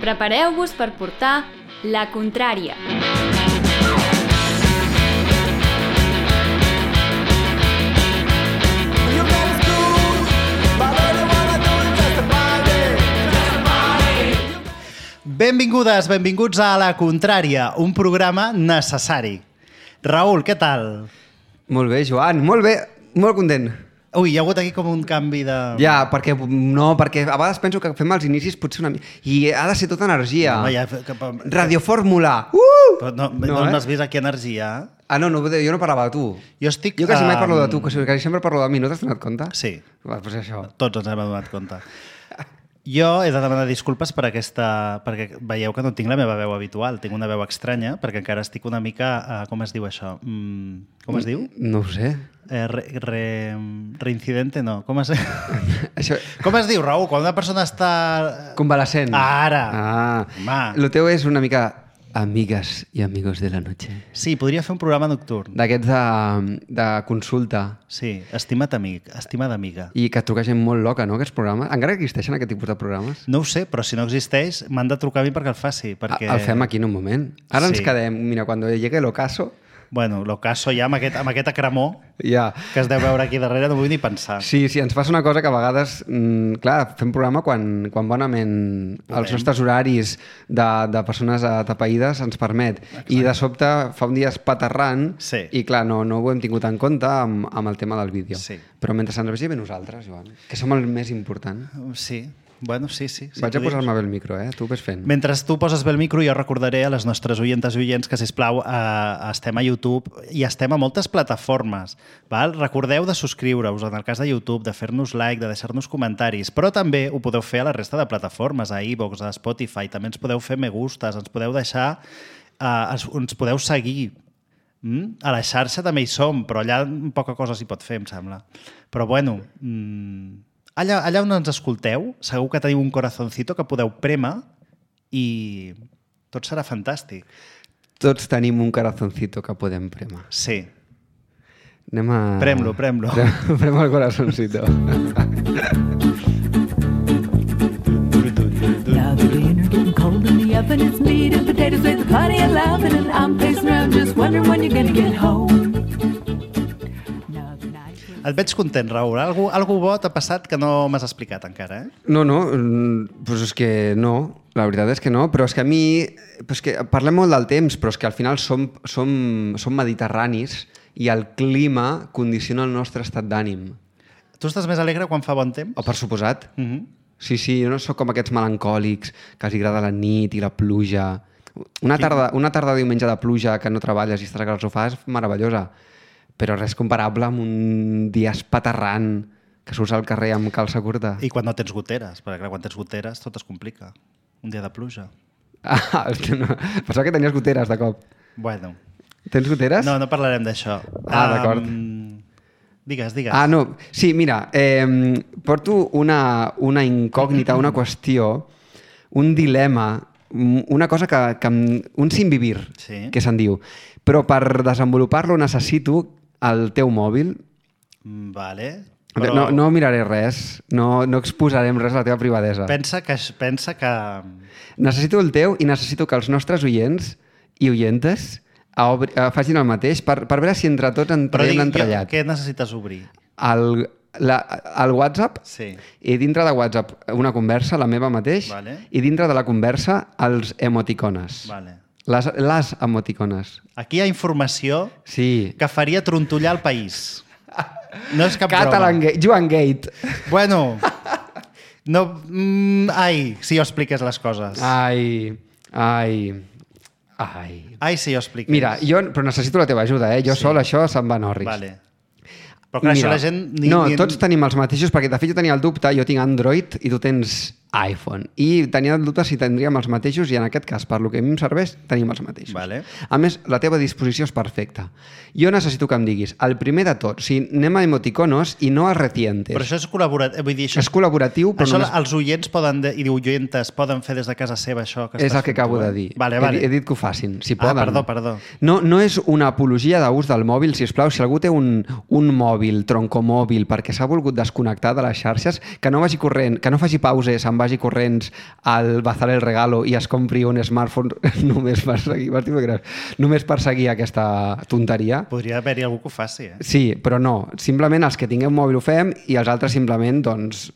Prepareu-vos per portar La Contrària. Benvingudes, benvinguts a La Contrària, un programa necessari. Raül, què tal? Molt bé, Joan, molt bé, molt content. Ui, hi ha hagut aquí com un canvi de... Ja, perquè a vegades penso que fem els inicis potser una mica... I ha de ser tota energia. No, ja... Radiofórmula! Però no m'has vist aquí energia? Ah, no, jo no parlava de tu. Jo estic... Jo quasi mai parlo de tu, quasi sempre parlo de mi. No t'has donat compte? Sí. Doncs això. Tots ens hem donat compte. Jo he de demanar disculpes per perquè veieu que no tinc la meva veu habitual, tinc una veu estranya, perquè encara estic una mica... com es diu això? Com es diu? No ho sé. Reincidente, no. Com es diu, Raül? Quan una persona està... Convalescent. Ara! Ah. Lo teu és una mica... Amigas y amigos de la noche. Sí, podria fer un programa nocturn. D'aquests de consulta. Sí, estima't amic, estimada amiga. I que truca gent molt loca, no, aquests programes? Encara existeixen aquest tipus de programes? No ho sé, però si no existeix, m'han de trucar a mi perquè el faci. Perquè... El fem aquí en un moment. Ara ens quedem, mira, quan llegue l'ocaso... Bueno, l'ocaso ja amb aquest acremó ja. Que es deu veure aquí darrere, no vull ni pensar. Sí, ens passa una cosa que a vegades, clar, fem programa quan bonament els nostres horaris de persones atapeïdes ens permet. Exacte. I de sobte fa un dia espaterrant i clar, no ho hem tingut en compte amb el tema del vídeo. Sí. Però mentre ens vegi bé nosaltres, Joan, que som el més important. Sí. Bueno, sí. Vaig a posar-me bé el micro, tu ves fent. Mentre tu poses bé el micro, jo recordaré a les nostres oientes i oients que, sisplau, estem a YouTube i estem a moltes plataformes. Val? Recordeu de subscriure-us, en el cas de YouTube, de fer-nos like, de deixar-nos comentaris, però també ho podeu fer a la resta de plataformes, a iVoox, a Spotify, també ens podeu fer me gustes, ens podeu deixar, ens podeu seguir. A la xarxa també hi som, però allà poca cosa s'hi pot fer, em sembla. Però bueno... Allà on ens escolteu, segur que teniu un corazoncito que podeu prémer i tot serà fantàstic. Tots tenim un corazoncito que podem prémer. Sí. Anem a... Prem-lo. Prem el corazoncito. Now the dinner getting cold in the oven, it's meat and potatoes with plenty of loving, and I'm pacing around just wondering when you're gonna get home. Et veig content, Raül. Algú bo t'ha passat que no m'has explicat encara, No, doncs és que no. La veritat és que no, però és que a mi... És que parlem molt del temps, però és que al final som mediterranis i el clima condiciona el nostre estat d'ànim. Tu estàs més alegre quan fa bon temps? Per suposat. Sí, jo no sóc com aquests melancòlics que els agrada la nit i la pluja. Una tarda diumenge de pluja que no treballes i estàs al sofà és meravellosa. Però res comparable amb un dia espaterrant que surts al carrer amb calça curta. I quan no tens goteres, perquè clar, quan tens goteres tot es complica. Un dia de pluja. Pensava que tenies goteres de cop. Bueno. Tens goteres? No parlarem d'això. D'acord. Digues. No. Sí, mira, porto una incògnita, una qüestió, un dilema, una cosa un sin vivir, que se'n diu. Però per desenvolupar-lo necessito el teu mòbil. Vale. Però... No miraré res, no exposarem res a la teva privadesa. Pensa que... Necessito el teu i necessito que els nostres oients i oientes facin el mateix per veure si entre tots en traiem l'entrellat. Què necessites obrir? El WhatsApp, i dintre de WhatsApp una conversa, la meva mateix, i dintre de la conversa els emoticones. Les emoticones. Aquí hi ha informació que faria trontollar el país. No és cap broma. Joan Gate. Bueno, si jo expliqués les coses. Ai, si jo expliqués. Mira, però necessito la teva ajuda, Jo sol això se'n va en orris. Vale. Però clar, això la gent... tots tenim els mateixos, perquè de fet jo tenia el dubte, jo tinc Android i tu tens iPhone. I tenia el dubte si tindríem els mateixos i en aquest cas, per lo que a mi em serveix, tenim els mateixos. Vale. A més, la teva disposició és perfecta. Jo necessito que em diguis, el primer de tot, anem a emoticonos i no a recientes. Però això és col·laboratiu. Vull dir, és col·laboratiu, però això els oients i oientes poden fer des de casa seva això que és el que acabo de dir. Vale. He dit que ho facin, si poden. Perdó. No és una apologia d'ús del mòbil, sisplau. Si algú té un mòbil, troncomòbil, perquè s'ha volgut desconnectar de les xarxes, que no vagi corrent, que no faci pauses, se'n se'n vagi corrents al Bazar el Regalo i es compri un smartphone només per seguir aquesta tonteria. Podria haver-hi algú que ho faci, Sí, però no. Simplement els que tinguem mòbil ho fem i els altres simplement, doncs,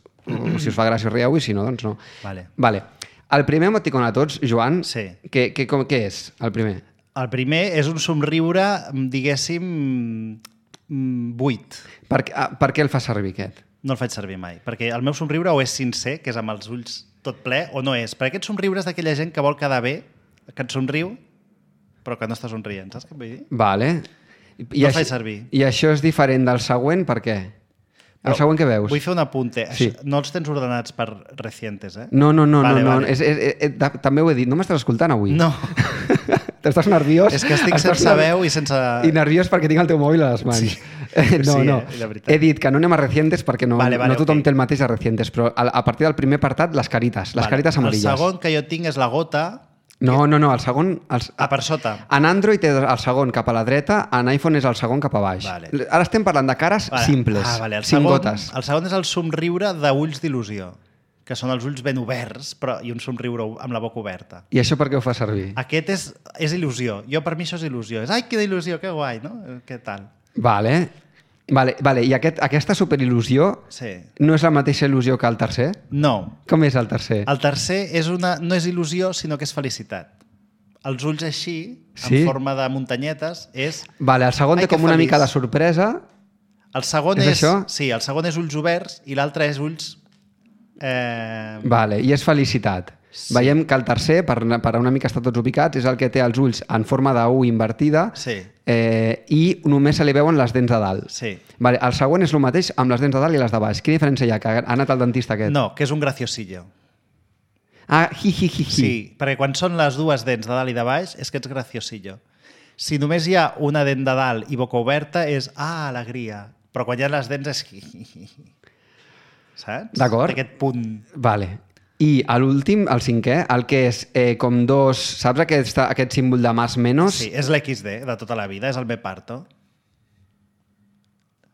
si us fa gràcia rieu i si no, doncs no. Vale. El primer emoticon a tots, Joan, què és el primer? El primer és un somriure, diguéssim, buit. Per què el fa servir, aquest? No el faig servir mai, perquè el meu somriure o és sincer, que és amb els ulls tot ple, o no és. Perquè aquest somriure és d'aquella gent que vol quedar bé, que et somriu, però que no està somrient, saps què vull dir? Vale. No el faig servir. I això és diferent del següent, per què? El següent que veus? Vull fer un apunte. Sí. No els tens ordenats per recientes, eh? No. També ho he dit. No m'estàs escoltant avui? No. T'estàs nerviós? És que estic sense veu i sense... I nerviós perquè tinc el teu mòbil a les mans. Sí. No. He dit que no anem a recientes perquè no tothom té el mateix a recientes, però a partir del primer apartat, les carites amarilles. El segon que jo tinc és la gota... No, el segon... per sota. En Android és el segon cap a la dreta, en iPhone és el segon cap a baix. Vale. Ara estem parlant de cares simples, cinc gotes. El segon és el somriure d'ulls d'il·lusió, que són els ulls ben oberts i un somriure amb la boca oberta. I això per què ho fa servir? Aquest és il·lusió. Per mi això és il·lusió. Ai, quina il·lusió, que guai, no? Què tal? Vale. I aquesta superil·lusió no és la mateixa il·lusió que el tercer? No. Com és el tercer? El tercer no és il·lusió, sinó que és felicitat. Els ulls així, en forma de muntanyetes, és... Vale, el segon té com una mica de sorpresa. El segon és això? Sí, el segon és ulls oberts i l'altre és ulls... Vale, i és felicitat. Sí. Veiem que el tercer, per una mica estar tots ubicats, és el que té els ulls en forma de U invertida i només se li veuen les dents de dalt. Sí. Vale, el següent és el mateix amb les dents de dalt i les de baix. Quina diferència hi ha? Que ha anat al dentista aquest? No, que és un graciosillo. Hi. Sí, perquè quan són les dues dents de dalt i de baix és que ets graciosillo. Si només hi ha una dent de dalt i boca oberta és alegria. Però quan hi ha les dents és saps? D'acord. Aquest punt. Vale. I l'últim, el cinquè, el que és com dos... Saps aquest símbol de más menos? Sí, és l'XD de tota la vida, és el me parto.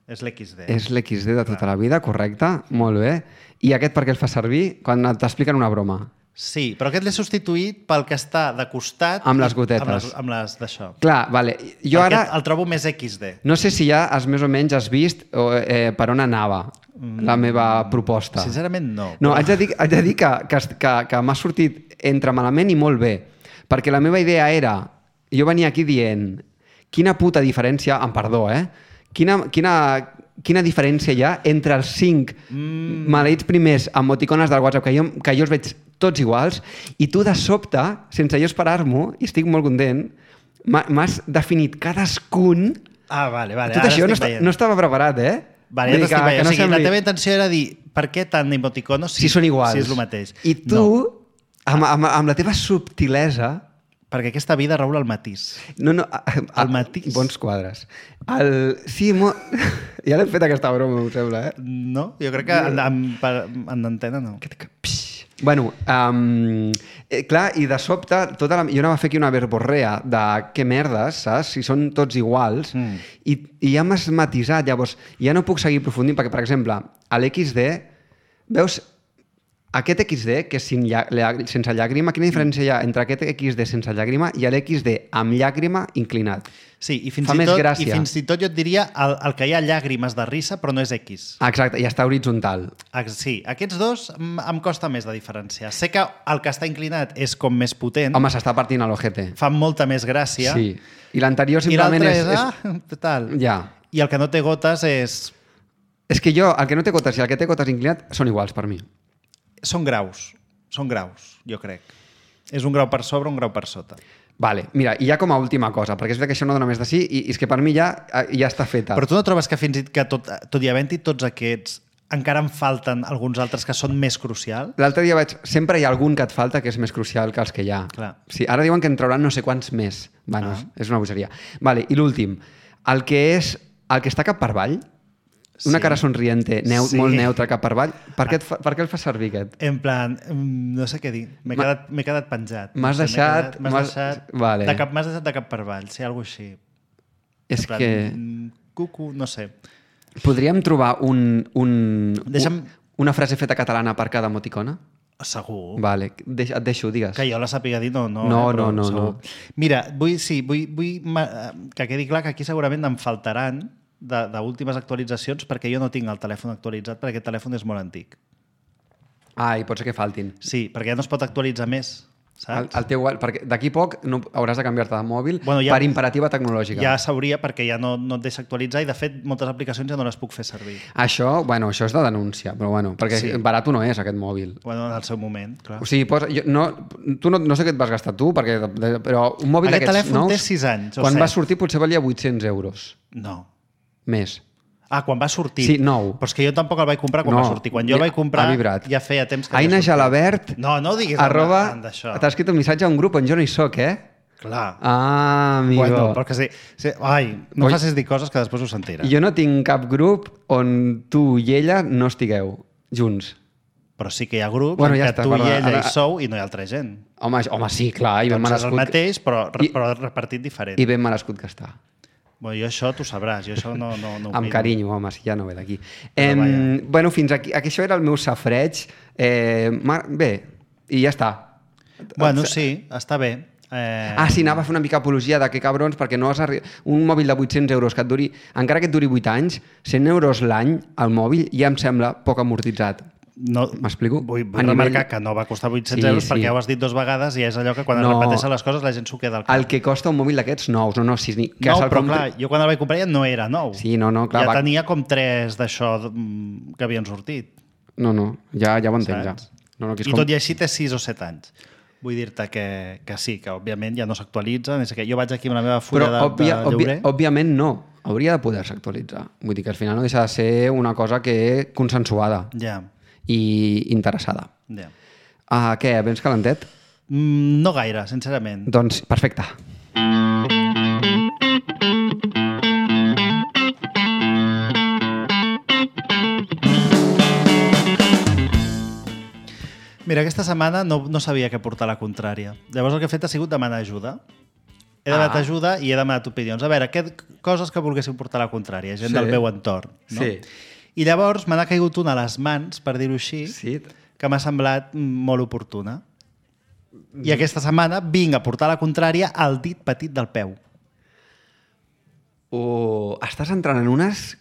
És l'XD. És l'XD de tota la vida, correcte. Molt bé. I aquest per què el fa servir? Quan t'expliquen una broma. Sí, però aquest l'he substituït pel que està de costat... Amb les gotetes. Amb les d'això. Clar, vale. Jo ara... El trobo més XD. No sé si ja més o menys has vist per on anava la meva proposta. Sincerament, no. No, haig de dir que m'ha sortit entre malament i molt bé. Perquè la meva idea era... Jo venia aquí dient... Quina puta diferència... Amb perdó, Quina diferència hi ha entre els 5 maleïts primers emoticones del WhatsApp que jo els veig tots iguals i tu de sobte, sense jo esperar-m'ho, i estic molt content, m'has definit cadascun... Vale. Tot això no estava preparat, Vale, ja t'estic veient. O sigui, la teva intenció era dir per què tant emoticonos si són iguals. Si és el mateix. I tu, amb la teva subtilesa... Perquè aquesta vida raula el matís. No, el matís. Bons quadres. Sí, ja l'hem fet aquesta broma, em sembla, No, jo crec que en antena no. Bueno, clar, i de sobte, jo anava a fer aquí una verborrea de què merdes, saps? Si són tots iguals, i ja m'has matisat, llavors ja no puc seguir aprofundint, perquè, per exemple, a l'XD, veus... Aquest XD, que és sense llàgrima, quina diferència hi ha entre aquest XD sense llàgrima i l'XD amb llàgrima inclinat? Sí, i fins i tot jo et diria el que hi ha llàgrimes de risa, però no és X. Exacte, i està horitzontal. Sí, aquests dos em costa més de diferenciar. Sé que el que està inclinat és com més potent. Home, s'està partint a l'ojete. Fa molta més gràcia. Sí, i l'anterior simplement és... I l'altre és... tal. Ja. I el que no té gotes és... És que el que no té gotes i el que té gotes inclinat són iguals per mi. Són graus, jo crec. És un grau per sobre, un grau per sota. Vale, mira, i ja com a última cosa, perquè és que això no dona més de sí, i és que per mi ja està feta. Però tu no trobes que fins i tot i havent-hi tots aquests, encara en falten alguns altres que són més crucials? L'altre dia sempre hi ha algun que et falta que és més crucial que els que hi ha. Clar. Sí, ara diuen que en trauran no sé quants més. Bueno, és una bogeria. Vale, i l'últim, el que està cap per avall, una cara somriente, molt neutra cap per avall. Per què el fa servir, aquest? En plan, no sé què dir. M'he quedat penjat. M'has deixat... Vale. M'has deixat de cap per avall, sí, alguna cosa així. És que... Cucu, no sé. Podríem trobar una frase feta catalana per cada emoticona? Segur. Vale, et deixo, digues. Que jo la sàpiga dir, no. No. Mira, vull que quedi clar que aquí segurament em faltaran d'últimes actualitzacions perquè jo no tinc el telèfon actualitzat perquè aquest telèfon és molt antic. I pot ser que faltin. Sí, perquè ja no es pot actualitzar més, saps? El teu, perquè d'aquí poc no hauràs de canviar-te de mòbil ja, per imperativa tecnològica. Ja s'hauria perquè ja no et deixa actualitzar i de fet moltes aplicacions ja no les puc fer servir. Això és de denúncia, però perquè barat no és aquest mòbil. En el seu moment, clar. O sigui, no sé què et vas gastar tu, però un mòbil d'aquests nous... Aquest telèfon té 6 anys. Quan va sortir potser valia 800 euros. No. Més. Quan va sortir. Sí, nou. Però és que jo tampoc el vaig comprar quan va sortir. Quan jo el vaig comprar ja feia temps que Aina Jalabert No diguis d'això. T'ha escrit un missatge a un grup on jo no hi soc, Clar. Amigo. Bueno, perquè sí. No facis dir coses que després ho sentirà. Jo no tinc cap grup on tu i ella no estigueu junts. Però sí que hi ha grups en què tu i ella hi sou i no hi ha altra gent. Home, sí, clar. Doncs és el mateix, però repartit diferent. I ben merescut que està. Jo això t'ho sabràs, jo això no amb carinyo, home, si ja no ve d'aquí. Fins aquí això era el meu safreig. Bé, i ja està. Sí, està bé. Sí, anava a fer una mica apologia de que cabrons, perquè no has un mòbil de 800 euros que et duri, encara que et duri 8 anys, 100 euros l'any al mòbil ja em sembla poc amortitzat. M'explico? Vull remarcar que no va costar 800 euros perquè ja ho has dit 2 vegades i és allò que quan es repeteixen les coses la gent s'ho queda al cap. El que costa un mòbil d'aquests nous, però clar, jo quan el vaig comprar ja no era nou. Sí, clar. Ja tenia com 3 d'això que havien sortit. Ja ho entenc, ja. I tot i així té 6 o 7 anys. Vull dir-te que sí, que òbviament ja no s'actualitza. Jo vaig aquí amb la meva fulla de lloguer. Òbviament no. Hauria de poder-se actualitzar. Vull dir que al final no deixa de ser una cosa que consensuada. Ja. I interessada. Què, vens calentet? No gaire, sincerament. Doncs, perfecte. Mira, aquesta setmana no sabia què portar la contrària. Llavors el que he fet ha sigut demanar ajuda. He demanat ajuda i he demanat opinions. A veure, coses que volguéssim portar la contrària, gent del meu entorn. No? Sí. I llavors me n'ha caigut una a les mans, per dir-ho així, que m'ha semblat molt oportuna. I aquesta setmana vinc a portar la contrària al dit petit del peu. Estàs entrant en unes...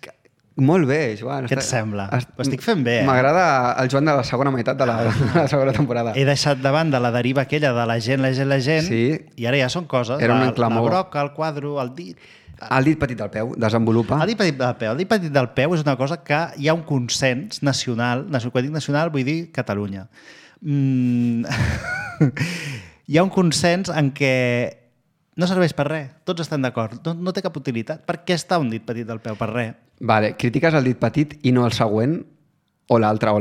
Molt bé, Joan. Què et sembla? Ho estic fent bé, M'agrada el Joan de la segona meitat de la segona temporada. He deixat de banda la deriva aquella de la gent, i ara ja són coses. Era un enclamor. La broca, el quadro, el dit... El dit petit del peu, desenvolupa. El dit petit del peu. El dit petit del peu és una cosa que hi ha un consens nacional, quan dic nacional vull dir Catalunya. Hi ha un consens en què no serveix per res, tots estan d'acord, no té cap utilitat. Per què està un dit petit del peu? Per res. Vale, critiques el dit petit i no el següent? O l'altre?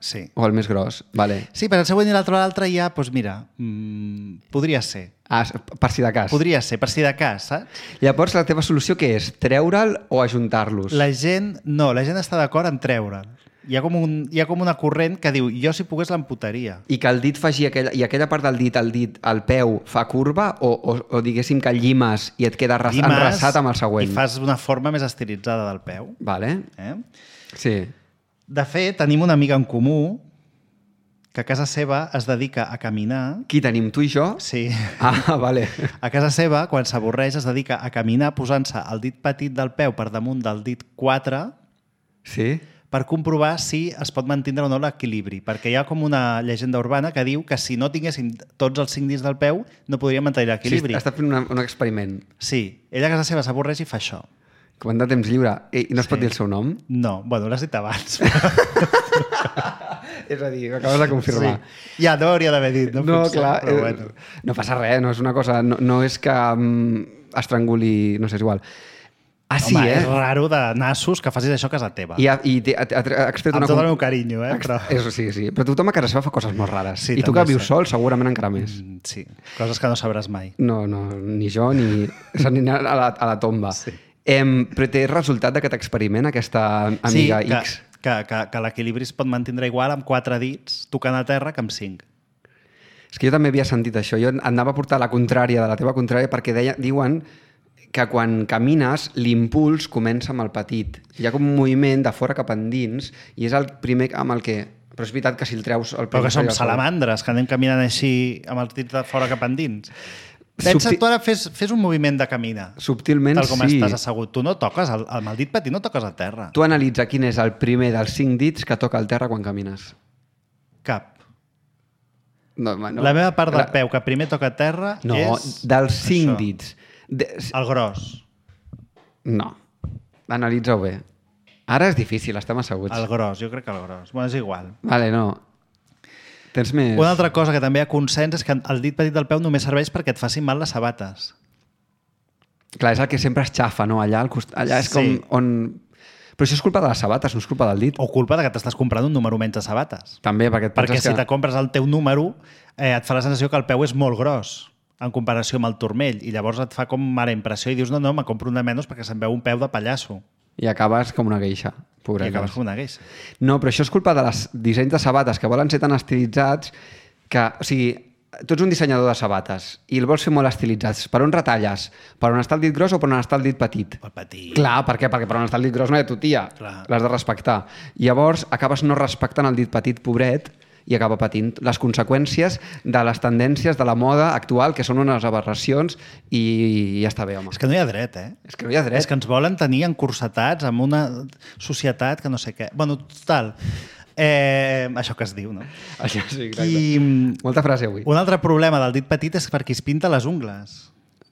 Sí. O el més gros? Vale. Sí, per el següent i l'altre ja, doncs mira, podria ser. Per si de cas. Podria ser, per si de cas, saps? Llavors, la teva solució què és? Treure'l o ajuntar-los? La gent està d'acord en treure'l. Hi ha com una corrent que diu jo si pogués l'amputaria. I que el dit faci aquella part del dit, el peu, fa curva o diguéssim que llimes i et queda enraçat amb el següent? I fas una forma més estilitzada del peu. Vale. Sí. De fet, tenim una amiga en comú que a casa seva es dedica a caminar... Qui tenim, tu i jo? Sí. Vale. A casa seva, quan s'avorreix, es dedica a caminar posant-se el dit petit del peu per damunt del dit 4 per comprovar si es pot mantenir o no l'equilibri. Perquè hi ha com una llegenda urbana que diu que si no tinguéssim tots els 5 dits del peu no podríem mantenir l'equilibri. Sí, està fent un experiment. Sí. Ella a casa seva s'avorreix i fa això. Quan de temps lliure. I no es pot dir el seu nom? No. Bueno, l'has dit abans. És a dir, acabes de confirmar. Sí. Ja no hauria d'haver dit. No, clar. Però bueno. No passa res, no és una cosa... No és que estranguli... No sé, és igual. Sí, home, és raro de nassos que facis això a casa teva. I has fet amb tot el meu carinyo, però... Sí. Però tothom a casa seva fa coses molt rares. Sí, I tu que vius sol, segurament encara més. Sí, coses que no sabràs mai. No, ni jo, ni a la tomba. Sí. Però té resultat d'aquest experiment, aquesta amiga X? Que l'equilibri es pot mantenir igual amb 4 dits tocant a terra que amb 5. És que jo també havia sentit això. Jo anava a portar la contrària de la teva contrària perquè diuen que quan camines l'impuls comença amb el petit. Hi ha com un moviment de fora cap endins i és el primer amb el que Però és veritat que si el treus... Però que som salamandres, que anem caminant així amb els dits de fora cap endins. Pensa, tu ara fes un moviment de caminar. Subtilment, tal com sí. estàs assegut. Tu no toques, amb el dit petit no toques a terra. Tu analitza quin és el primer dels 5 dits que toca al terra quan camines. Cap. No. La meva part del peu que primer toca a terra és... No, dels 5 dits. El gros. No. Analitza-ho bé. Ara és difícil, estem asseguts. El gros, jo crec que el gros. Bueno, és igual. Vale, no. Tens més... Una altra cosa que també hi ha consens és que el dit petit del peu només serveix perquè et facin mal les sabates. Clar, és el que sempre es xafa, no? Allà és com on... Però això és culpa de les sabates, no és culpa del dit. O culpa de que t'estàs comprant un número menys de sabates. També, perquè et penses si te compres el teu número, et fa la sensació que el peu és molt gros en comparació amb el turmell, i llavors et fa com mala impressió i dius, no, me compro un de menys perquè se'm veu un peu de pallasso. I acabes com una geisha. I acabes com una geisha. No, però això és culpa de les dissenys de sabates que volen ser tan estilitzats que, o sigui, tu ets un dissenyador de sabates i el vols fer molt estilitzats. Per on retalles? Per on està el dit gros o per on està el dit petit? El petit. Clar, per què? Perquè per on està el dit gros no hi ha tu, tia. L'has de respectar. Llavors acabes no respectant el dit petit, pobret, i acaba patint les conseqüències de les tendències de la moda actual, que són unes aberracions, i ja està bé, home. És que no hi ha dret, eh? És que no hi ha dret. És que ens volen tenir encursetats amb una societat que no sé què. Bueno, total, això que es diu, no? Això sí, exacte. Molta frase avui. Un altre problema del dit petit és perquè es pinta les ungles.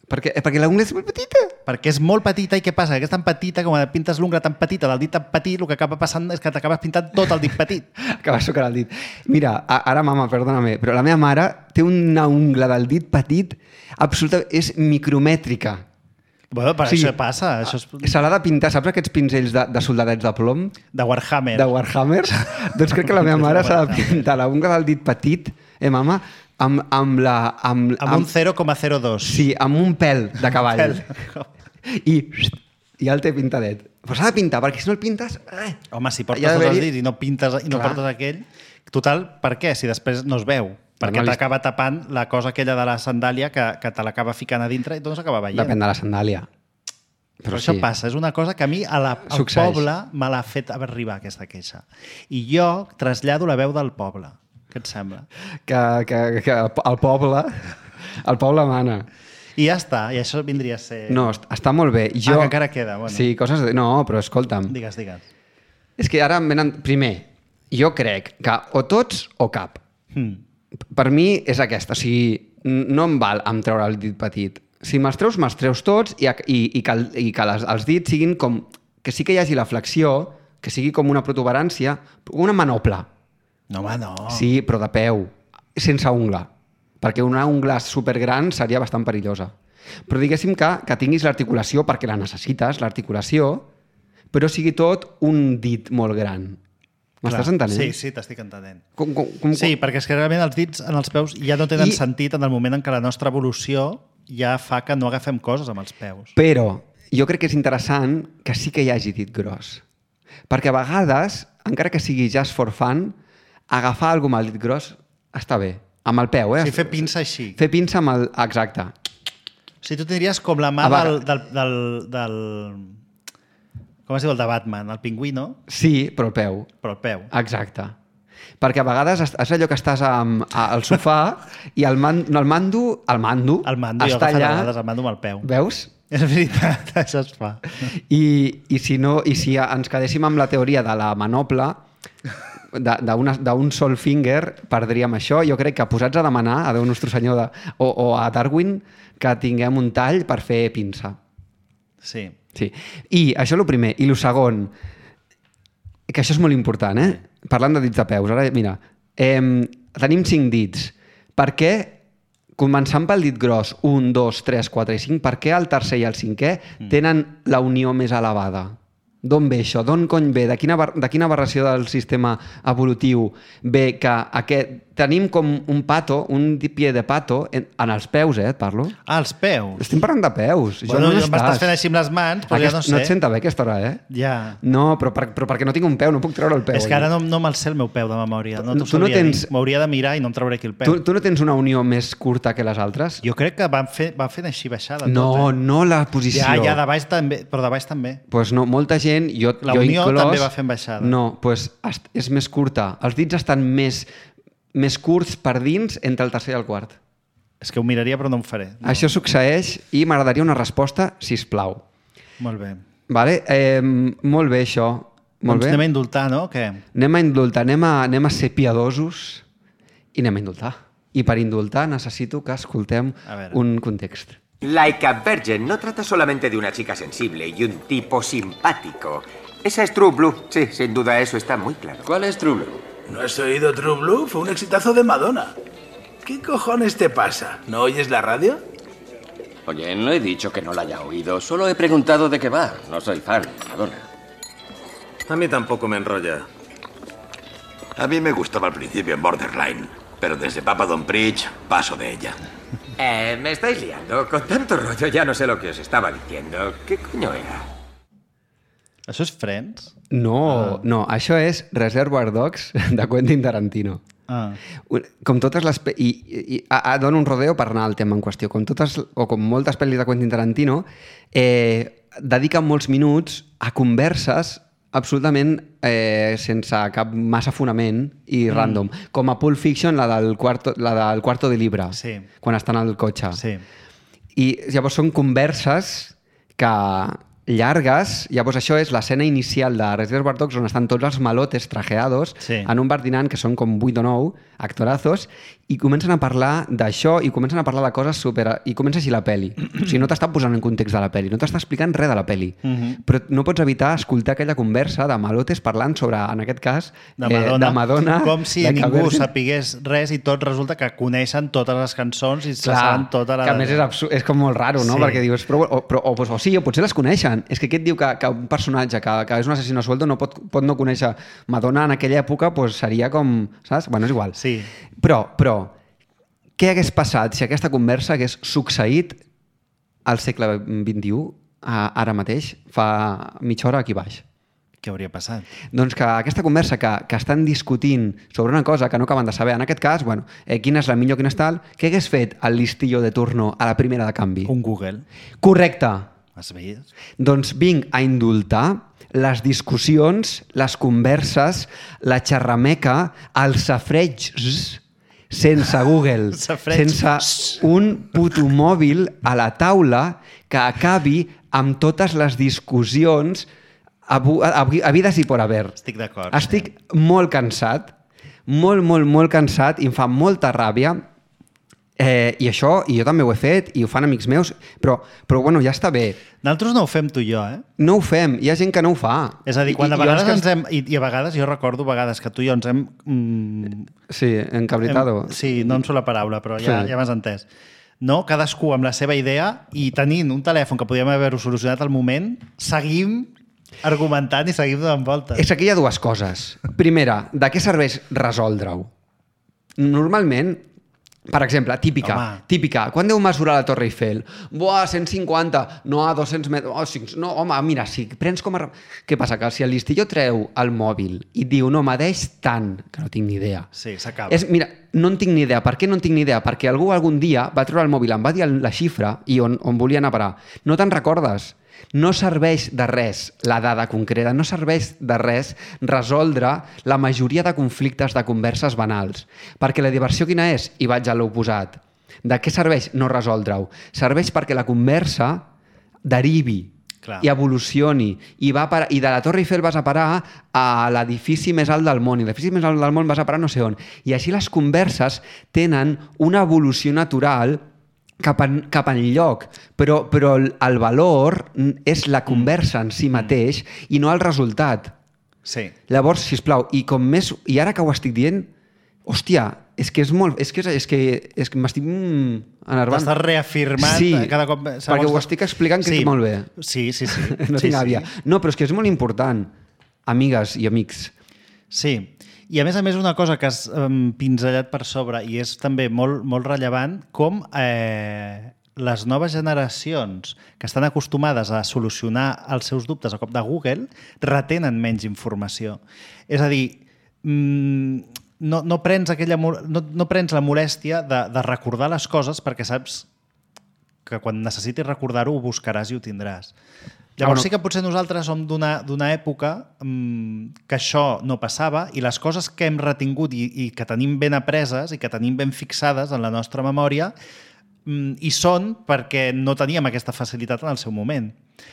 Perquè l'ungla és molt petita. Perquè és molt petita i què passa? Que és tan petita, com et pintes l'ungla tan petita del dit tan petit, el que acaba passant és que t'acabes pintant tot el dit petit. Acabes sucant el dit. Mira, ara, mama, perdóname, però la meva mare té una ungla del dit petit absolutament... És micromètrica. Bueno, per això passa. Se l'ha de pintar, saps aquests pinzells de soldadets de plom? De Warhammer. De Warhammer? Doncs crec que la meva mare s'ha de pintar la ungla del dit petit, mama, amb un 0,02. Sí, amb un pèl de cavall. I ja el té pintadet. Però s'ha de pintar, perquè si no el pintes... Home, si portes tots els dits i no pintes i no portes aquell... Total, per què? Si després no es veu. Perquè t'acaba tapant la cosa aquella de la sandàlia que te l'acaba ficant a dintre i tot no s'acaba veient. Depèn de la sandàlia. Però això passa, és una cosa que a mi al poble me l'ha fet arribar aquesta queixa. I jo trasllado la veu del poble. Què et sembla? Que el poble mana. I ja està, i això vindria a ser... No, està molt bé. Que encara queda. Bueno. Sí, coses... No, però escolta'm. Digues. És que ara em venen... Primer, jo crec que o tots o cap. Per mi és aquesta. O sigui, no em val amb treure el dit petit. Si me'ls treus tots i que els dits siguin com... Que sí que hi hagi la flexió, que sigui com una protuberància, una manopla. No, home, no. Sí, però de peu, sense ungla. Perquè una ungla supergran seria bastant perillosa. Però diguéssim que tinguis l'articulació perquè la necessites, l'articulació, però sigui tot un dit molt gran. M'estàs entenent? Sí, t'estic entenent. Sí, perquè és que realment els dits en els peus ja no tenen sentit en el moment en què la nostra evolució ja fa que no agafem coses amb els peus. Però jo crec que és interessant que sí que hi hagi dit gros. Perquè a vegades, encara que sigui just for fun, agafar alguna amb el dit gros està bé. Amb el peu, Sí, fer pinça així. Fer pinça amb el... Exacte. O sigui, tu tindries com la mà del... Com es diu el de Batman? El pingüí, no? Sí, però el peu. Però el peu. Exacte. Perquè a vegades és allò que estàs al sofà i el mando està allà... El mando amb el peu. Veus? És veritat, això es fa. I si ens quedéssim amb la teoria de la manopla, d'un sol finger, perdríem això. Jo crec que posats a demanar a Déu Nostre Senyor o a Darwin que tinguem un tall per fer pinça. Sí. I això és el primer. I el segon, que això és molt important, parlant de dits de peus. Ara, mira, tenim 5 dits. Per què, començant pel dit gros, 1, 2, 3, 4 i 5, per què el tercer i el cinquè tenen la unió més elevada? D'on ve això? D'on cony ve? De quina aberració del sistema evolutiu ve que tenim com un pato, un pie de pato, en els peus, et parlo? Ah, els peus? Estem parlant de peus. Bueno, jo m'estàs fent així amb les mans, però ja no sé. No et senta bé aquesta hora, Ja. No, però perquè no tinc un peu, no puc treure el peu. És que ara no me'l sé el meu peu de memòria. M'hauria de mirar i no em trauré aquí el peu. Tu no tens una unió més curta que les altres? Jo crec que van fent així baixada. No la posició. Ja, de baix també, però de baix també. Doncs no, molta gent gent, jo Unió inclòs... també va fent baixada. No, doncs és més curta. Els dits estan més curts per dins entre el tercer i el quart. És que ho miraria però no ho faré. No. Això succeeix i m'agradaria una resposta, sisplau. Molt bé. Vale? Molt bé, això. Molt Doncs bé. anem a indultar, no? Què? Anem a indultar, anem a ser piadosos i anem a indultar. I per indultar necessito que escoltem un context. Laika Bergen no trata solamente de una chica sensible y un tipo simpático. Esa es True Blue. Sí, sin duda eso está muy claro. ¿Cuál es True Blue? ¿No has oído True Blue? Fue un exitazo de Madonna. ¿Qué cojones te pasa? ¿No oyes la radio? Oye, no he dicho que no la haya oído. Solo he preguntado de qué va. No soy fan, Madonna. A mí tampoco me enrolla. A mí me gustaba al principio en Borderline, pero desde Papa Don't Preach paso de ella. Me estáis liando. Con tanto rollo ya no sé lo que os estaba diciendo. ¿Qué coño era? Això és Friends? No, això és Reservoir Dogs de Quentin Tarantino. Com totes les... I dono un rodeo per anar al tema en qüestió. Com totes, o com moltes pel·lis de Quentin Tarantino, dediquen molts minuts a converses absolutament sense cap massa fonament i random. Com a Pulp Fiction, la del Cuarto de Libra, quan estan al cotxe. I llavors són converses que llargues, llavors això és l'escena inicial de Reservoir Dogs on estan tots els malotes trajeados en un bar dinant que són com 8 o 9 actorazos i comencen a parlar d'això i comencen a parlar de coses super... i comença així la peli. O sigui, no t'està posant en context de la peli, no t'està explicant res de la peli, però no pots evitar escoltar aquella conversa de malotes parlant sobre, en aquest cas, de Madonna. Com si ningú sapigués res i tot resulta que coneixen totes les cançons i se saben tota la... Que a més és com molt raro, no? Perquè dius, o sí, o potser les coneixen. És que aquest diu que un personatge que és un assassino sueldo no pot no conèixer Madonna en aquella època, doncs seria com... Saps? Bueno, és igual. Sí. Però, què hagués passat si aquesta conversa hagués succeït al segle XXI, ara mateix, fa mitja hora aquí baix? Què hauria passat? Doncs que aquesta conversa que estan discutint sobre una cosa que no acaben de saber, en aquest cas, bueno, quina és la millor, quina és tal, què hagués fet el listillo de turno a la primera de canvi? Un Google. Correcte. Has vist? Doncs vinc a indultar les discussions, les converses, la xerrameca, els safregs sense Google, sense un puto mòbil a la taula que acabi amb totes les discussions habides i por haver. Estic d'acord. Estic molt cansat, molt cansat i em fa molta ràbia. I això, i jo també ho he fet, i ho fan amics meus, però bueno, ja està bé. Nosaltres no ho fem tu i jo, eh? No ho fem, hi ha gent que no ho fa. És a dir, quan a vegades ens hem... I a vegades, jo recordo vegades que tu i jo ens hem... Sí, encabritado. Sí, no em surt la paraula, però ja m'has entès. No? Cadascú amb la seva idea i tenint un telèfon que podíem haver-ho solucionat al moment, seguim argumentant i seguim donant voltes. És que hi ha dues coses. Primera, de què serveix resoldre-ho? Normalment, per exemple, típica. Quan deu mesurar la Torre Eiffel? Buah, 150. No, a 200 metres. Oh, no, home, mira, si prens com a... Què passa? Que si el listillo treu el mòbil i diu, no, m'adeix tant, que no tinc ni idea. Sí, s'acaba. Mira, no en tinc ni idea. Per què no en tinc ni idea? Perquè algú algun dia va treure el mòbil, em va dir la xifra i on volia anar a parar. No te'n recordes? No serveix de res la dada concreta, no serveix de res resoldre la majoria de conflictes de converses banals. Perquè la diversió quina és? I vaig a l'oposat. De què serveix no resoldre-ho? Serveix perquè la conversa derivi i evolucioni. I de la Torre Eiffel vas a parar a l'edifici més alt del món, i l'edifici més alt del món vas a parar no sé on. I així les converses tenen una evolució natural cap enlloc, però el valor és la conversa en si mateix i no el resultat. Sí. Llavors, sisplau, i ara que ho estic dient, hòstia, és que m'estic enervant. T'estàs reafirmant cada cop... Perquè ho estic explicant que molt bé. Sí. No tinc àvia. No, però és que és molt important, amigues i amics. Sí. I a més una cosa que has pinzellat per sobre i és també molt rellevant, com les noves generacions que estan acostumades a solucionar els seus dubtes a cop de Google retenen menys informació. És a dir, no prens la molèstia de recordar les coses perquè saps que quan necessitis recordar-ho ho buscaràs i ho tindràs. Llavors sí que potser nosaltres som d'una època que això no passava i les coses que hem retingut i que tenim ben apreses i que tenim ben fixades en la nostra memòria hi són perquè no teníem aquesta facilitat en el seu moment.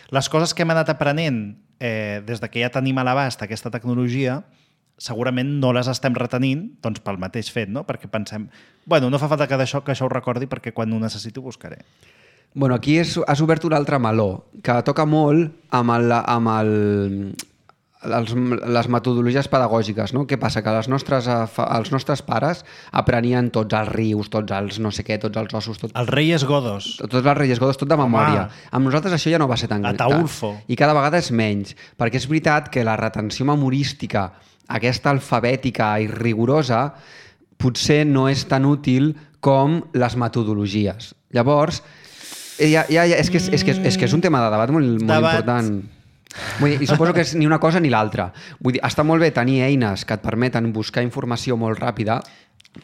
Les coses que hem anat aprenent des de que ja tenim a l'abast aquesta tecnologia segurament no les estem retenint doncs, pel mateix fet, no? Perquè pensem, bueno, no fa falta que això ho recordi perquè quan ho necessito ho buscaré. Bueno, aquí has obert un altre meló, que toca molt amb les metodologies pedagògiques, no? Què passa? Que els nostres pares aprenien tots els rius, tots els no sé què, tots els ossos... Els Reyes Godos. Tots els Reyes Godos, tot de memòria. Amb nosaltres això ja no va ser tan gran. Ataulfo. I cada vegada és menys, perquè és veritat que la retenció memorística, aquesta alfabètica i rigorosa, potser no és tan útil com les metodologies. Llavors, és que és un tema de debat molt important. Vull dir, i suposo que és ni una cosa ni l'altra. Vull dir, està molt bé tenir eines que et permeten buscar informació molt ràpida.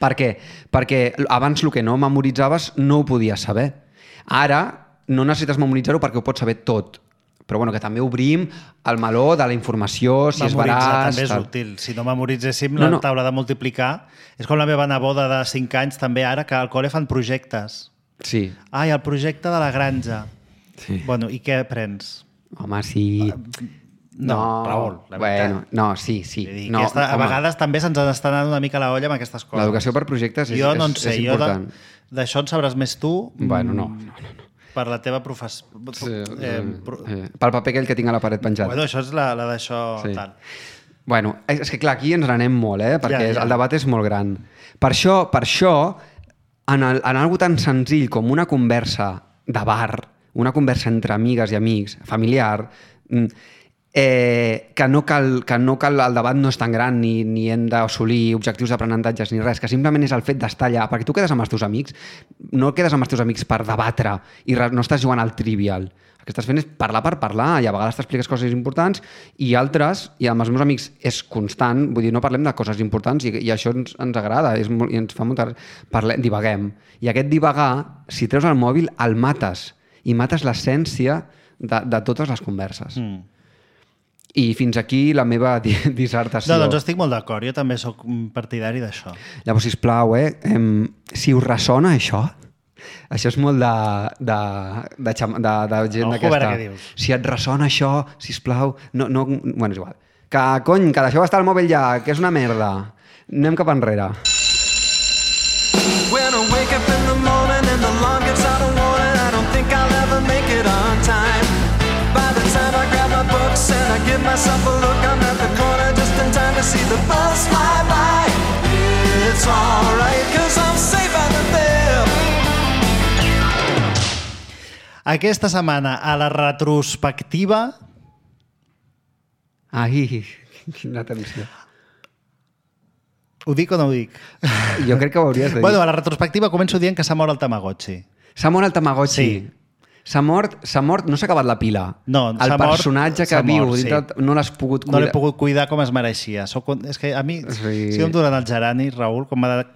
Per què? Perquè abans el que no memoritzaves no ho podies saber. Ara no necessites memoritzar-ho perquè ho pots saber tot. Però bueno, que també obrim el meló de la informació, si és veraç... També és útil. Si no memoritzéssim la taula de multiplicar, és com la meva neboda de 5 anys també ara, que al col·le fan projectes. Sí. Ai, el projecte de la granja. Sí. Bueno, i què aprens? Home, sí... No, Raül, la veritat. Bueno, no, sí. No, a vegades també se'ns està anant una mica la olla amb aquestes coses. L'educació per projectes és important. D'això en sabràs més tu. Bueno, no. Per la teva professió. Pel paper aquell que tinc a la paret penjat. Bueno, això és la d'això tal. Bueno, és que clar, aquí ens n'anem molt, perquè el debat és molt gran. Per això en algo tan senzill com una conversa de bar, una conversa entre amigues i amics, familiar, que no cal el debat no és tan gran ni hem d'assolir objectius d'aprenentatges ni res, que simplement és el fet d'estar allà, perquè tu quedes amb els teus amics, no quedes amb els teus amics per debatre i no estàs jugant al trivial. El que estàs fent és parlar per parlar i a vegades t'expliques coses importants i altres, i amb els meus amics és constant, vull dir, no parlem de coses importants i això ens agrada i ens fa molta... divaguem. I aquest divagar, si treus el mòbil, el mates i mates l'essència de totes les converses. I fins aquí la meva dissertació. No, doncs estic molt d'acord, jo també sóc partidari d'això. Llavors, sisplau, si us ressona això és molt de gent d'aquesta... Si et ressona això, sisplau, no... Bueno, és igual. Que, cony, que deixeu estar el mòbil ja, que és una merda. Anem cap enrere. When I wake up in the morning and the alarm gets out of warning, I don't think I'll ever make it on time. By the time I grab my books and I give myself a look, I'm at the corner just in time to see the bus fly by. It's alright, 'cause I'm safe out of there. Aquesta setmana, a la retrospectiva... Ai, quina tensió. Ho dic o no ho dic? Jo crec que ho hauries de dir. Bueno, a la retrospectiva començo dient que s'ha mort el Tamagotchi. S'ha mort el Tamagotchi? Sí. S'ha mort, no s'ha acabat la pila. No, el personatge que viu dintre no l'has pogut cuidar. No l'he pogut cuidar com es mereixia. És que a mi, si em duren el gerani, Raül, com m'ha de...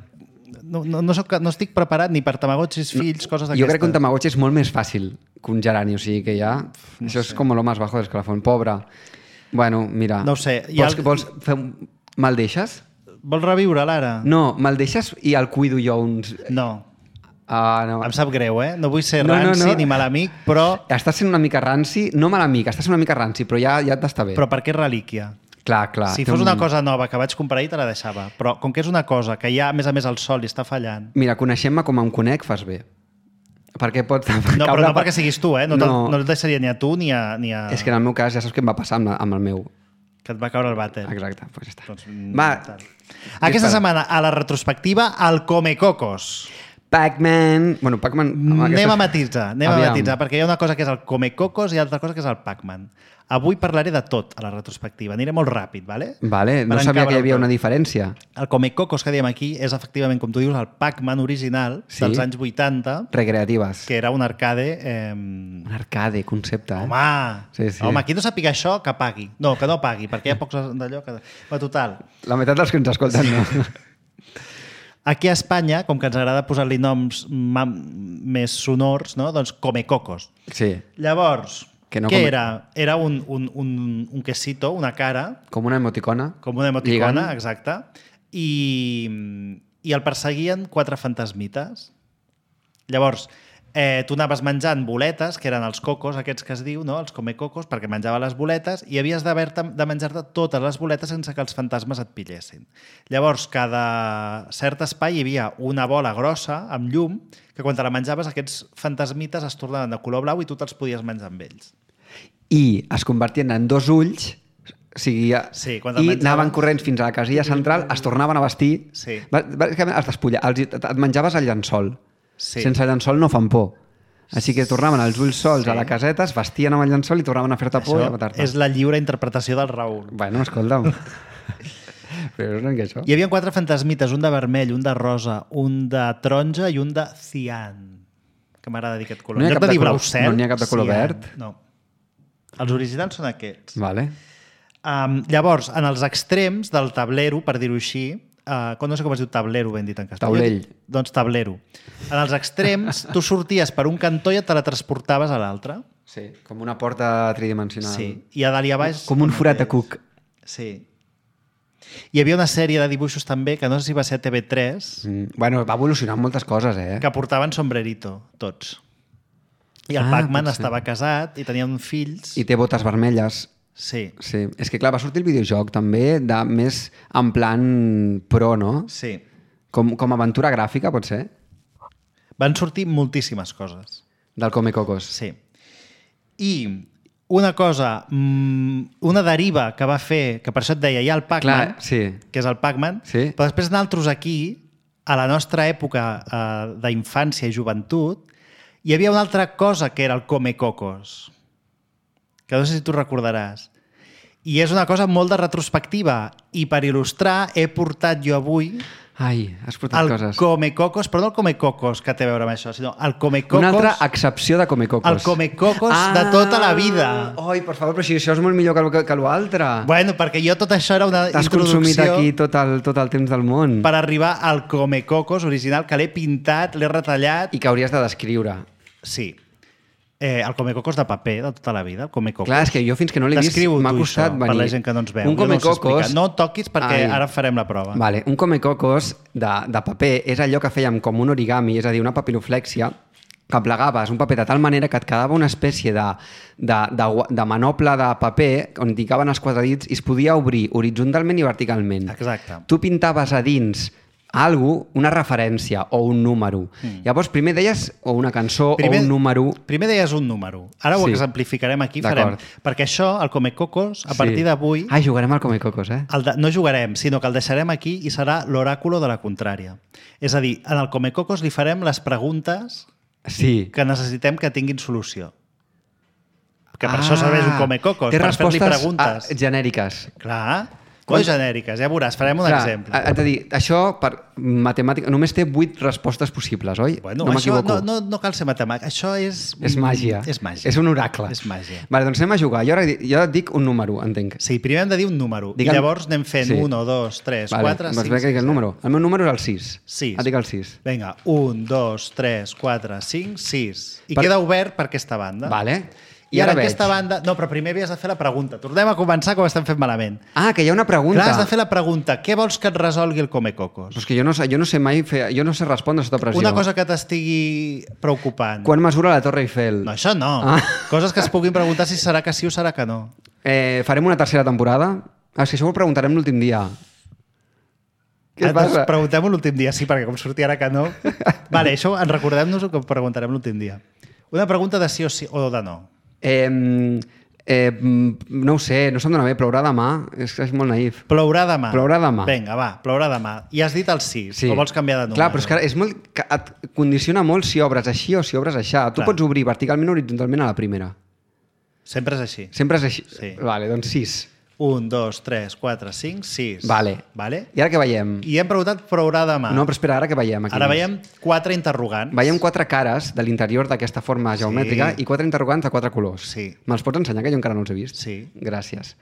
No estic preparat ni per Tamagotxis, fills, coses d'aquestes. Jo crec que un Tamagotchi és molt més fàcil que un gerani, o sigui que ja... Això és com lo más bajo del escalafón. Pobre. Bueno, mira... No ho sé. Vols fer... Me'l deixes? Vols reviure l'ara? No, me'l deixes i el cuido jo uns... No. No. Em sap greu, no vull ser ranci ni mal amic, però... Estàs sent una mica ranci, no mal amic, estàs sent una mica ranci, però ja t'està bé. Però per què relíquia? Clar. Si fos una cosa nova que vaig comprar i te la deixava, però com que és una cosa que ja, a més el sol i està fallant... Mira, coneixent-me com em conec, fas bé. Perquè pots... No, però no perquè siguis tu, no et deixaria ni a tu ni a... És que en el meu cas ja saps què em va passar amb el meu. Que et va caure el vàter. Exacte, doncs ja està. Doncs, va. Aquesta setmana, a la retrospectiva, el Comecocos. Pac-Man... Bueno, Pac-Man... Anem a matisar, perquè hi ha una cosa que és el Comecocos i altra cosa que és el Pac-Man. Avui parlaré de tot a la retrospectiva. Aniré molt ràpid, ¿vale? Vale, no sabia que hi havia una diferència. El Comecocos que diem aquí és efectivament, com tu dius, el Pac-Man original dels anys 80. Recreatives. Que era un arcade... Un arcade, concepte, Home! Sí. Home, qui no sàpiga això, que pagui. No, que no pagui, perquè hi ha pocs d'allò que... Però total. La meitat dels que ens escolten no. Aquí a Espanya, com que ens agrada posar-li noms més sonors, no? Doncs Comecocos. Sí. Llavors, Que no què come- era? Era un quesito, una cara, Com una emoticona. com una emoticona, Lligant. exacte, i el perseguien 4 fantasmites. Llavors, tu anaves menjant boletes, que eren els cocos, aquests que es diu, no? Els comecocos, perquè menjava les boletes, i havies de menjar-te totes les boletes sense que els fantasmes et pillessin. Llavors, cada cert espai hi havia una bola grossa, amb llum, que quan te la menjaves aquests fantasmites es tornaven de color blau i tu te'ls podies menjar amb ells. I es convertien en 2 ulls, o sigui, Sí, quan i te'l menjaves- anaven corrents fins a la casilla central, es tornaven a vestir, Sí. bàsicament es despullaven, et menjaves el llençol. Sí. Sense llençol no fan por. Així que tornaven els ulls sols a la caseta, es vestien amb el llençol i tornaven a fer-te por i a Això matar-te. és la lliure interpretació del Raül. Bueno, escolta'm. Però és que això. Hi havia 4 fantasmites, un de vermell, un de rosa, un de taronja i un de cian, que m'agrada dir aquest color. No hi ha En lloc cap de de dir color- blau cel, no n'hi ha cap de color cian. verd? No. Els originals són aquests. Vale. Llavors, en els extrems del tablero, per dir-ho així, no sé com es diu tablero, ben dit en castellà. Taulell. Doncs tablero. En els extrems, tu sorties per un cantó i et teletransportaves a l'altre. Sí, com una porta tridimensional. Sí. I a dalt i a baix... Com un forat de cuc. Sí. Hi havia una sèrie de dibuixos també, que no sé si va ser a TV3, Bueno, va evolucionar moltes coses, que portaven sombrerito, tots. I el Pac-Man pot ser. estava casat i tenia uns fills. I té botes vermelles. Sí, Sí, és que clar, va sortir el videojoc també de més en plan pro, no? sí. Com aventura gràfica, pot ser? Van sortir moltíssimes coses. Del Comecocos. Sí. I una cosa, una deriva que va fer, que per això et deia, hi ha el Pac-Man, Clar, sí. que és el Pac-Man, Sí. però després nosaltres aquí, a la nostra època d'infància i joventut, hi havia una altra cosa que era el Comecocos, que no sé si tu recordaràs. I és una cosa molt de retrospectiva, i per il·lustrar he portat jo avui Ai, has portat el coses. Comecocos, però no el Comecocos que té a veure amb això, sinó el Comecocos... Una altra accepció de Comecocos. El Comecocos de tota la vida. Ai, per favor, però si això és molt millor que l'altre. Bueno, perquè jo tot això era una T'has consumit introducció aquí tot el temps del món. per arribar al Comecocos original, que l'he pintat, l'he retallat... I que hauries de descriure. Sí. El Comecocos de paper de tota la vida, el Comecocos. Clar, és que jo fins que no l'he vist Descriu-ho m'ha tu, costat això, venir. per la gent que no ens veu. Un Jo no ho sé Comecocos... explicar. No toquis perquè Ai. ara farem la prova. Vale, un Comecocos de paper és allò que fèiem com un origami, és a dir, una papiroflèxia, que plegaves un paper de tal manera que et quedava una espècie de manople de paper on hi caben els quadradits i es podia obrir horitzontalment i verticalment. Exacte. Tu pintaves a dins una referència o un número. Llavors, primer deies o una cançó o un número... Primer deies un número. Ara ho Sí. exemplificarem aquí. D'acord. Perquè això, el Comecocos, a partir d'avui... Ai, jugarem al Comecocos, eh? No jugarem, sinó que el deixarem aquí i serà l'oràculo de la contrària. És a dir, en el Comecocos li farem les preguntes Sí. que necessitem que tinguin solució. Que per això serveix un Comecocos, té per fer-li respostes preguntes. genèriques. Clar, no genèriques, ja veuràs, farem un exemple. És a dir, això per matemàtica només té 8 respostes possibles, oi? Bueno, no això m'equivoco. no cal ser matemàtic, això és... És màgia. És màgia. És un oracle. És màgia. Vale, doncs anem a jugar. Jo et dic un número, entenc. Sí, primer hem de dir un número, Digue'm- i llavors anem fent Sí. 1, 2, 3, Vale, 4, doncs 5, ve que dic el número. El meu número és el 6. 6. Et dic el 6. Vinga, 1, 2, 3, 4, 5, 6. I Per- queda obert per aquesta banda. Vale. I ara veig. aquesta banda... No, però primer havies de fer la pregunta. Tornem a començar com estem fent malament. Ah, que hi ha una pregunta. Clar, has de fer la pregunta. Què vols que et resolgui el Comecocos? Però és que jo no sé mai fer... Jo no sé respondre sota pressió. Una cosa que t'estigui preocupant. Quan mesura la Torre Eiffel? No, això no. Ah. Coses que es puguin preguntar si serà que sí o serà que no. Farem una tercera temporada? És que això ho preguntarem l'últim dia. Què Doncs passa? preguntem-ho l'últim dia, sí, perquè com sortia ara que no... Vale, això en recordem-nos que ho preguntarem l'últim dia. Una pregunta de sí o sí o de no. No ho sé, no se'm dona bé, plourà demà, és molt naïf. Plourà demà. Plourà demà. Vinga, va, plourà demà. I has dit el 6, o vols canviar de número? Clar, però és que és molt, que et condiciona molt si obres així o si obres aixà. Tu Clar. pots obrir verticalment o horitzontalment a la primera. Sempre és així. Sempre és així. Sí. Vale, doncs 6. 1, 2, 3, 4, 5, 6. Vale. Vale? I ara què veiem? I hem preguntat plourà demà. No, però espera, ara què veiem aquí? Ara veiem 4 interrogants. Veiem 4 cares de l'interior d'aquesta forma geomètrica i 4 interrogants de 4 colors. Sí. Me'ls pots ensenyar, que jo encara no els he vist? Sí. Gràcies.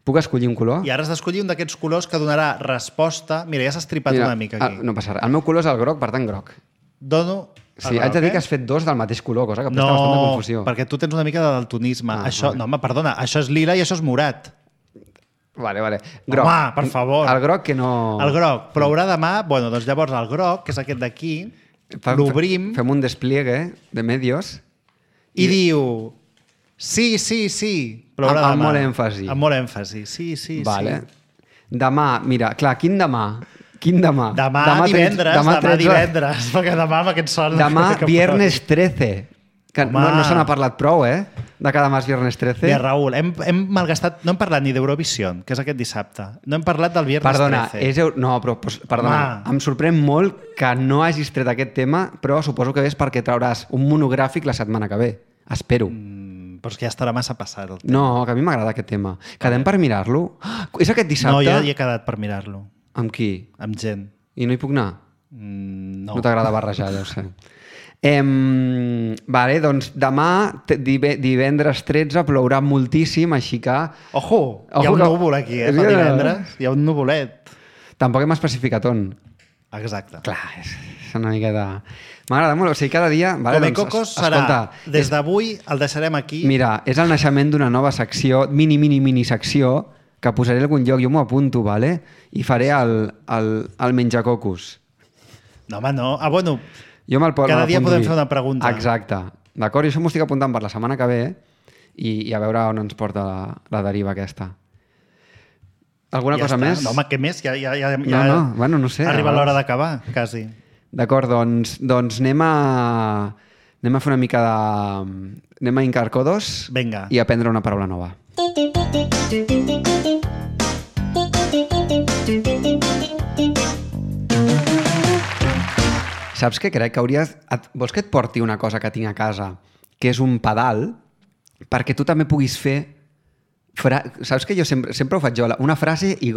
Puc escollir un color? I ara has d'escollir un d'aquests colors que donarà resposta... Mira, ja s'ha estripat una mica aquí. No passa res. El meu color és el groc, per tant, groc. Dono Sí, haig de dir que has fet dos del mateix color, cosa que presta bastant de confusió. No, perquè tu tens una mica de daltonisme. Això, no, home, perdona, això és lila i això és morat. Vale. Groc. Home, per favor. El groc que no... El groc. Plourà demà, bueno, doncs llavors el groc, que és aquest d'aquí, l'obrim... Fem un despliegue de medios. I diu... Sí. Plourà demà. Amb molt èmfasi. Amb molt èmfasi, sí. Vale. Demà, mira, clar, quin demà? Demà divendres, perquè demà amb aquest sol... Demà, viernes 13. Que no se n'ha parlat prou, de cada mas viernes 13. Bé, Raül, hem malgastat... No hem parlat ni d'Eurovision, que és aquest dissabte. No hem parlat del viernes 13. Perdona, em sorprèn molt que no hagis tret aquest tema, però suposo que és perquè trauràs un monogràfic la setmana que ve. Espero. Però és que ja estarà massa passat el tema. No, que a mi m'agrada aquest tema. Quedem per mirar-lo? És aquest dissabte? No, jo ja he quedat per mirar-lo. Amb qui? Amb gent. I no hi puc anar? No. No t'agrada barrejar, ja ho sé. Vale, doncs demà, divendres 13, plourà moltíssim, així que... Ojo, hi ha un núvol aquí, per divendres. Hi ha un nuvolet. Tampoc hem especificat on. Exacte. Clar, és una mica de... M'agrada molt, o sigui, cada dia... Vale, Come Cocos serà, des d'avui el deixarem aquí. Mira, és el naixement d'una nova secció, mini secció, que posaré a algun lloc, jo m'ho apunto, vale? I faré el menjacocos. No, home, no. Bueno, cada dia podem fer una pregunta. Exacte. D'acord? I això m'ho estic apuntant per la setmana que ve i a veure on ens porta la deriva aquesta. Alguna cosa més? No, home, què més? Bueno, no sé. Arriba l'hora d'acabar, quasi. D'acord, doncs anem a fer una mica de... Anem a hincar codos. Vinga. I aprendre una paraula nova. Saps què crec? Que hauries... Vols que et porti una cosa que tinc a casa, que és un pedal, perquè tu també puguis fer... Saps que jo sempre ho faig jo? Una frase i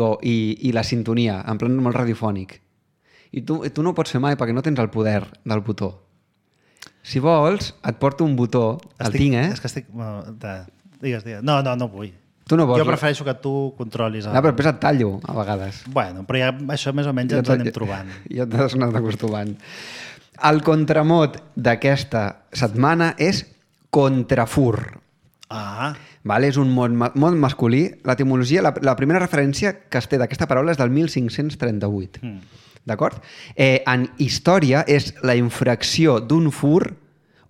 la sintonia, en plan molt radiofònic. I tu no ho pots fer mai perquè no tens el poder del botó. Si vols, et porto un botó. El tinc, eh? És que estic... Digues. No vull. Tu no vols. Jo prefereixo que tu controlis. No, però després et tallo, a vegades. Bueno, però ja, això més o menys ja ens anem trobant. Ja t'has anat acostumant. El contramot d'aquesta setmana és contrafur. Vale? És un mot masculí. L'etimologia, la primera referència que es té d'aquesta paraula és del 1538. D'acord? En història és la infracció d'un fur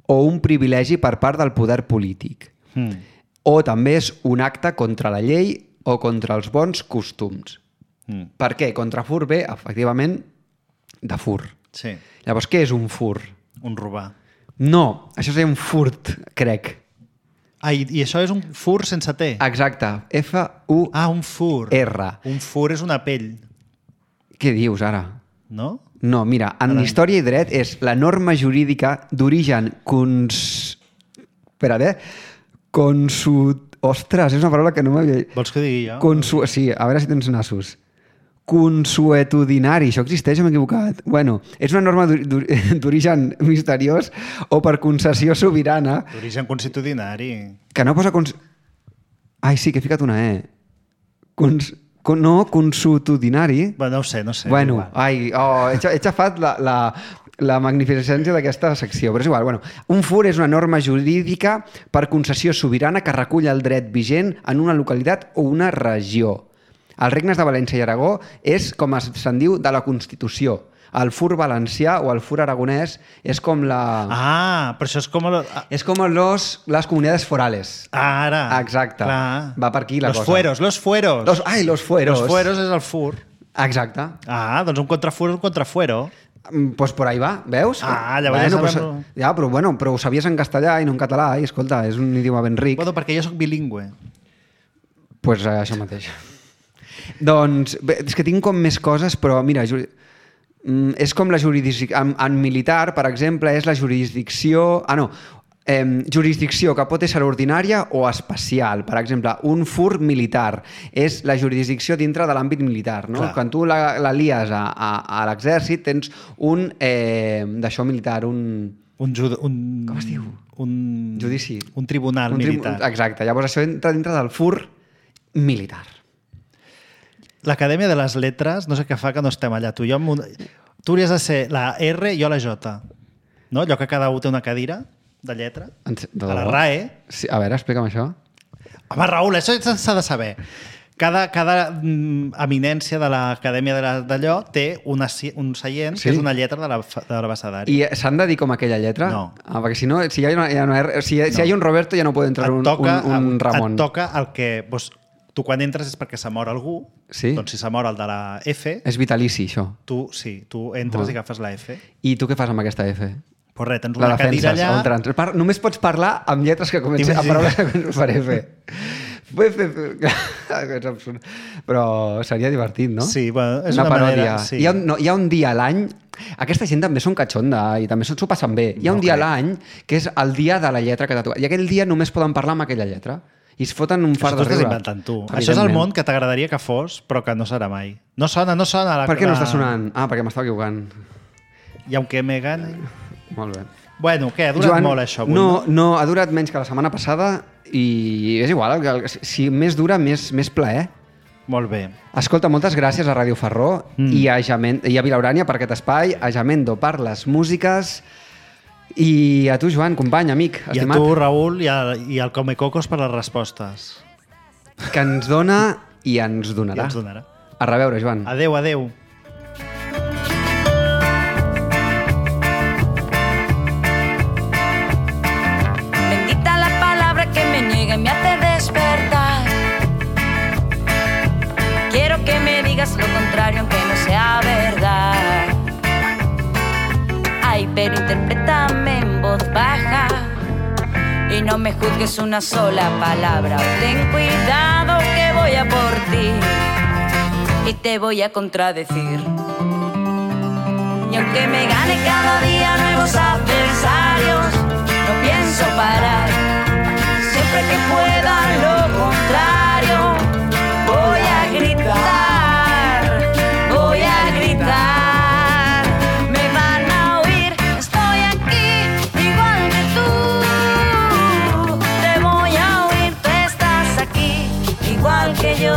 o un privilegi per part del poder polític. O també és un acte contra la llei o contra els bons costums. Per què? Contrafur ve, efectivament, de fur. Sí. Llavors, què és un fur? Un robar. No, això és un furt, crec. I això és un fur sense T? Exacte. F-U-R. Un fur. Un fur és una pell. Què dius, ara? No? No, mira, en història i dret és la norma jurídica d'origen Ostres, és una paraula que no m'havia... Vols que digui jo? Sí, a veure si tens nassos. Consuetudinari, això existeix o m'he equivocat? Bueno, és una norma d'origen misteriós o per concessió sobirana... D'origen consuetudinari. Que no posa... Ai, sí, que he ficat una E. No, consuetudinari. Bueno, no sé. Bueno, he xafat la magnificència d'aquesta secció, però és igual. Bueno, un fur és una norma jurídica per concessió sobirana que recull el dret vigent en una localitat o una regió. Als regnes de València i Aragó és, com se'n diu, de la Constitució. El fur valencià o el fur aragonès és com la... però això és com... És com les comunitats forales. Ara. Exacte. Clar. Va per aquí la cosa. Los fueros. Los fueros. Los fueros és el fur. Exacte. Doncs un contrafur és un contrafuero. Pues por ahí va, veus? Llavors però ho sabies en castellà i no en català, i escolta, és un idioma ben ric. Bueno, perquè jo soc bilingüe. Pues això mateix. Doncs, és que tinc com més coses, però mira, és com la jurisdicció... En militar, per exemple, és la jurisdicció... jurisdicció que pot ser ordinària o especial. Per exemple, un fur militar és la jurisdicció dintre de l'àmbit militar. No? Quan tu la lies a l'exèrcit tens un d'això militar, com es diu? Un judici. Un tribunal militar. Exacte. Llavors això entra dintre del fur militar. L'Acadèmia de les Lletres, no sé què fa que no estem allà. Tu hauries de ser la R i jo la J. no? Allò que cada un té una cadira de lletra. A la RAE. Sí, a veure, explica'm això. Home, Raül, això s'ha de saber. Cada eminència de l'acadèmia d'allò té un seient que és una lletra de l'abecedari. I s'han de dir com aquella lletra? No. Perquè si no, si hi ha un Roberto ja no pot entrar un Ramon. Et toca el que... Tu quan entres és perquè s'ha mort algú, doncs si s'ha mort el de la F... És vitalici, això. Tu entres i agafes la F. I tu què fas amb aquesta F? Pues res, tens una cadira allà... Només pots parlar amb lletres que comencen a paraules que comencen per F. És absurd. Però seria divertit, no? Sí, bueno, és una paròdia. Sí. Hi ha un dia a l'any... Aquesta gent també són catxonda i també s'ho passen bé. Hi ha un dia a l'any que és el dia de la lletra que t'ha tocat. I aquell dia només poden parlar amb aquella lletra. I es foten un fart de riure. Això t'ho estàs inventant tu. Això és el món que t'agradaria que fos, però que no serà mai. No sona. Per què no està sonant? Ah, perquè m'estava equivocant. I aunque me gane... Molt bé. Bueno, què? Ha durat molt això avui, no, ha durat menys que la setmana passada i és igual, si més dura, més plaer. Molt bé. Escolta, moltes gràcies a Ràdio Ferró i a Vilaurània per aquest espai, a Jamendo per les músiques i a tu, Joan, company, amic, estimat. I a tu, Raül, i al Comecocos per les respostes. Que ens dona i ens donarà. A reveure, Joan. Adéu, adéu. Me hace despertar. Quiero que me digas lo contrario aunque no sea verdad. Ay, pero interprétame en voz baja y no me juzgues una sola palabra. Ten cuidado que voy a por ti y te voy a contradecir. Y aunque me gane cada día nuevos adversarios, no pienso parar. Siempre que pueda lo contrario, voy a gritar, voy a gritar. Me van a oír, estoy aquí, igual que tú. Te voy a oír, tú estás aquí, igual que yo.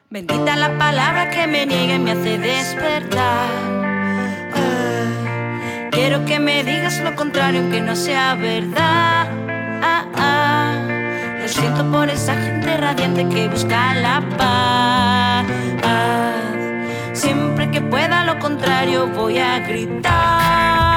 Bendita la palabra que me niega y me hace despertar. Quiero que me digas lo contrario aunque no sea verdad. Lo siento por esa gente radiante que busca la paz. Siempre que pueda lo contrario voy a gritar.